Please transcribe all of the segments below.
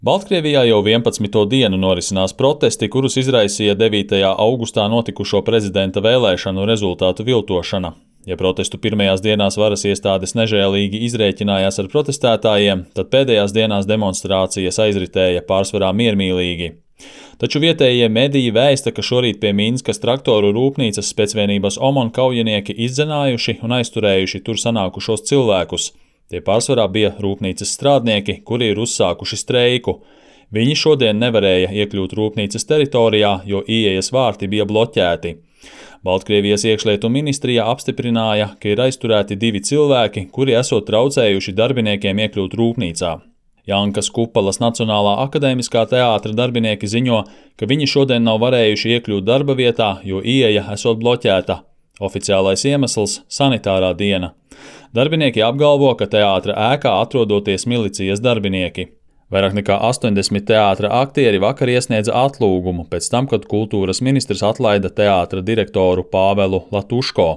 Baltkrievijā jau 11. dienu norisinās protesti, kurus izraisīja 9. augustā notikušo prezidenta vēlēšanu rezultātu viltošana. Ja protestu pirmajās dienās varas iestādes nežēlīgi izrēķinājās ar protestētājiem, tad pēdējās dienās demonstrācijas aizritēja pārsvarā miermīlīgi. Taču vietējie mediji vēsta, ka šorīt pie Minskas traktoru rūpnīcas spēcvienības OMON kaujinieki izdzenājuši un aizturējuši tur sanākušos cilvēkus. Tie pārsvarā bija rūpnīcas strādnieki, kuri ir uzsākuši streiku. Viņi šodien nevarēja iekļūt rūpnīcas teritorijā, jo ieejas vārti bija bloķēti. Baltkrievijas iekšlietu ministrija apstiprināja, ka ir aizturēti 2 cilvēki, kuri esot traucējuši darbiniekiem iekļūt rūpnīcā. Jankas Kupalas Nacionālā akadēmiskā teātra darbinieki ziņo, ka viņi šodien nav varējuši iekļūt darba vietā, jo ieeja esot bloķēta. Oficiālais iemesls – sanitārā diena. Darbinieki apgalvo, ka teātra ēkā atrodoties milicijas darbinieki. Vairāk nekā 80 teātra aktieri vakar iesniedza atlūgumu pēc tam, kad kultūras ministrs atlaida teātra direktoru Pāvelu Latuško.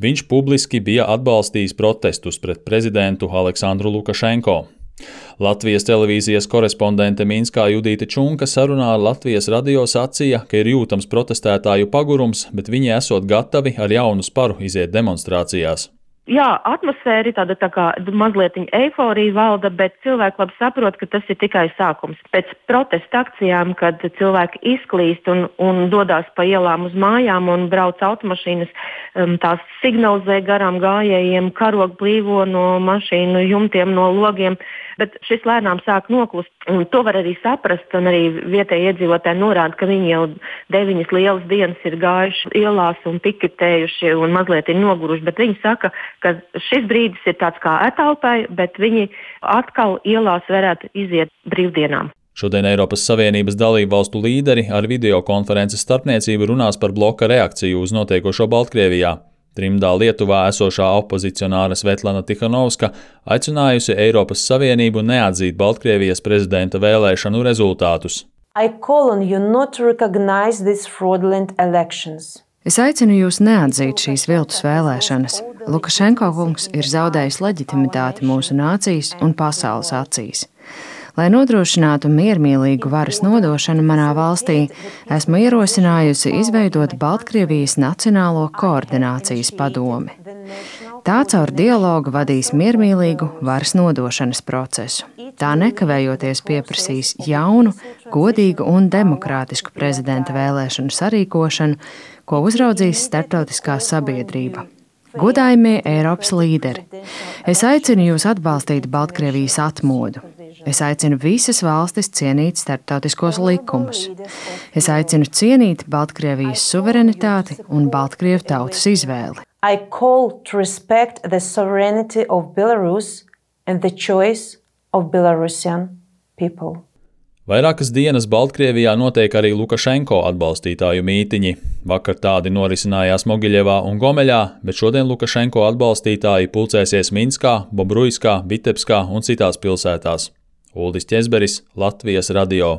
Viņš publiski bija atbalstījis protestus pret prezidentu Aleksandru Lukašenko. Latvijas televīzijas korespondente Minskā Judīte Čunka sarunā ar Latvijas radio sacīja, ka ir jūtams protestētāju pagurums, bet viņi esot gatavi ar jaunu sparu iziet demonstrācijās. Jā, atmosfēra ir tāda tā kā mazliet eiforija valda, bet cilvēki labi saprot, ka tas ir tikai sākums. Pēc protesta akcijām, kad cilvēki izklīst un dodās pa ielām uz mājām un brauc automašīnas, tās signalizē garām gājējiem, karog blīvo no mašīnu jumtiem, no logiem, bet šis lēnām sāk noklust. Un to var arī saprast, un arī vietēji iedzīvotāji norāda, ka viņi jau 9 lielas dienas ir gājuši ielās un piketējuši un mazliet ir noguruši, bet viņi saka, ka šis brīdis ir tāds kā etalpai, bet viņi atkal ielās varētu iziet brīvdienām. Šodien Eiropas Savienības dalību valstu līderi ar videokonferences starpniecību runās par bloka reakciju uz notiekošo Baltkrievijā. Trimdā Lietuvā esošā opozicionāra Svetlana Tikhanovska aicinājusi Eiropas Savienību neatzīt Baltkrievijas prezidenta vēlēšanu rezultātus. Es aicinu jūs neatzīt šīs viltus vēlēšanas. Lukašenko kungs ir zaudējis leģitimitāti mūsu nācijas un pasaules acīs. Lai nodrošinātu miermīlīgu varas nodošanu manā valstī, esmu ierosinājusi izveidot Baltkrievijas Nacionālo koordinācijas padomi. Tā caur dialogu vadīs miermīlīgu varas nodošanas procesu. Tā nekavējoties pieprasīs jaunu, godīgu un demokrātisku prezidenta vēlēšanu sarīkošanu, ko uzraudzīs starptautiskā sabiedrība. Godājamie Eiropas līderi, es aicinu jūs atbalstīt Baltkrievijas atmodu. Es aicinu visas valstis cienīt starptautiskos likumus. Es aicinu cienīt Baltkrievijas suverenitāti un Baltkrievu tautas izvēli. I call to respect the sovereignty of Belarus and the choice of Belarusian people. Vairākas dienas Baltkrievijā notiek arī Lukašenko atbalstītāju mītiņi. Vakar tādi norisinājās Mogiļevā un Gomeļā, bet šodien Lukašenko atbalstītāji pulcēsies Minskā, Bobruiskā, Vitebskā un citās pilsētās. Uldis Ķezberis, Latvijas radio.